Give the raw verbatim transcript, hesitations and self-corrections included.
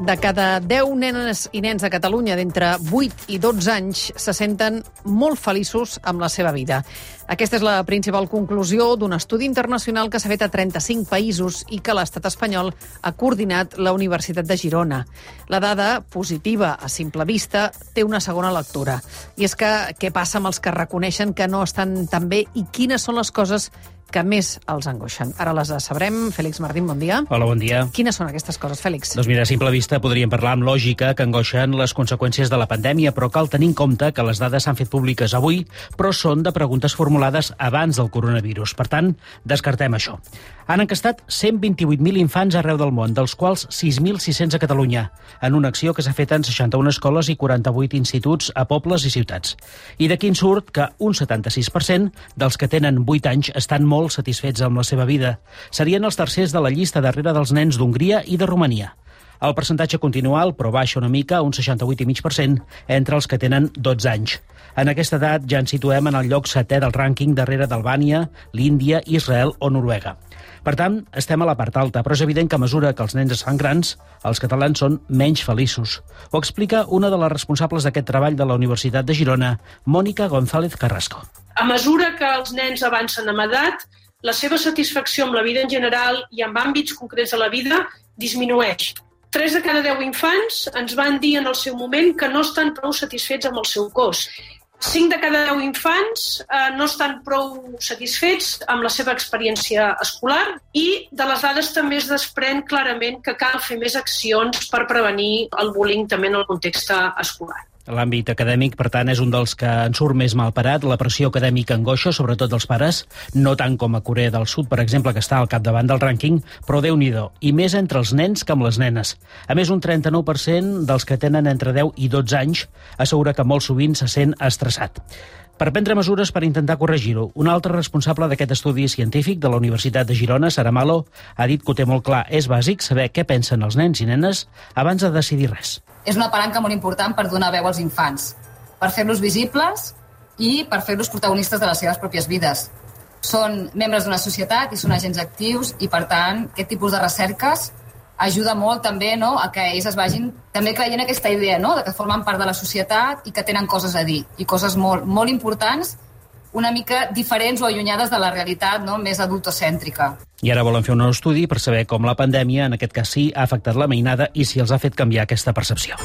De cada deu nenes i nens a Catalunya d'entre vuit i dotze anys se senten molt feliços amb la seva vida. Aquesta és la principal conclusió d'un estudi internacional que s'ha fet a trenta-cinc països i que l'estat espanyol ha coordinat la Universitat de Girona. La dada, positiva a simple vista, té una segona lectura. I és que què passa amb els que reconeixen que no estan tan bé i quines són les coses que més els angoixen? Ara les sabrem. Fèlix Martín, bon dia. Hola, bon dia. Quines són aquestes coses, Fèlix? Doncs mira, a simple vista podríem parlar amb lògica que angoixen les conseqüències de la pandèmia, però cal tenir en compte que les dades s'han fet públiques avui, però són de preguntes formulades abans del coronavirus. Per tant, descartem això. Han encastat cent vint-i-vuit mil infants arreu del món, dels quals sis mil sis-cents a Catalunya, en una acció que s'ha fet en seixanta-una escoles i quaranta-vuit instituts a pobles i ciutats. I d'aquí en surt que un setanta-sis per cent dels que tenen vuit anys estan molt satisfets amb la seva vida. Serien els tercers de la llista darrere dels nens d'Hongria i de Romania. El percentatge continua alt, però baixa una mica, un seixanta-vuit coma cinc per cent, entre els que tenen dotze anys. En aquesta edat ja ens situem en el lloc setè del rànquing darrere d'Albània, l'Índia, Israel o Noruega. Per tant, estem a la part alta, però és evident que a mesura que els nens es fan grans, els catalans són menys feliços. Ho explica una de les responsables d'aquest treball de la Universitat de Girona, Mònica González Carrasco. A mesura que els nens avancen amb edat, la seva satisfacció amb la vida en general i amb àmbits concrets de la vida disminueix. Tres de cada deu infants ens van dir en el seu moment que no estan prou satisfets amb el seu cos. Cinc de cada deu infants eh, no estan prou satisfets amb la seva experiència escolar i de les dades també es desprèn clarament que cal fer més accions per prevenir el bullying també en el context escolar. L'àmbit acadèmic, per tant, és un dels que en surt més malparat. La pressió acadèmica angoixa, sobretot dels pares, no tant com a Corea del Sud, per exemple, que està al capdavant del rànquing, però Déu-n'hi-do, i més entre els nens que amb les nenes. A més, un trenta-nou per cent dels que tenen entre deu i dotze anys assegura que molt sovint se sent estressat. Per prendre mesures per intentar corregir-ho, un altre responsable d'aquest estudi científic de la Universitat de Girona, Sara Malo, ha dit que ho té molt clar. És bàsic saber què pensen els nens i nenes abans de decidir res. És una palanca molt important per donar veu als infants, per fer-los visibles i per fer-los protagonistes de les seves pròpies vides. Són membres d'una societat i són agents actius i, per tant, aquest tipus de recerques ajuda molt també, no, a que ells es vagin també creient aquesta idea, no, de que formen part de la societat i que tenen coses a dir, i coses molt, molt importants, una mica diferents o allunyades de la realitat, no, més adultocèntrica. I ara volen fer un nou estudi per saber com la pandèmia, en aquest cas sí, ha afectat la mainada i si els ha fet canviar aquesta percepció.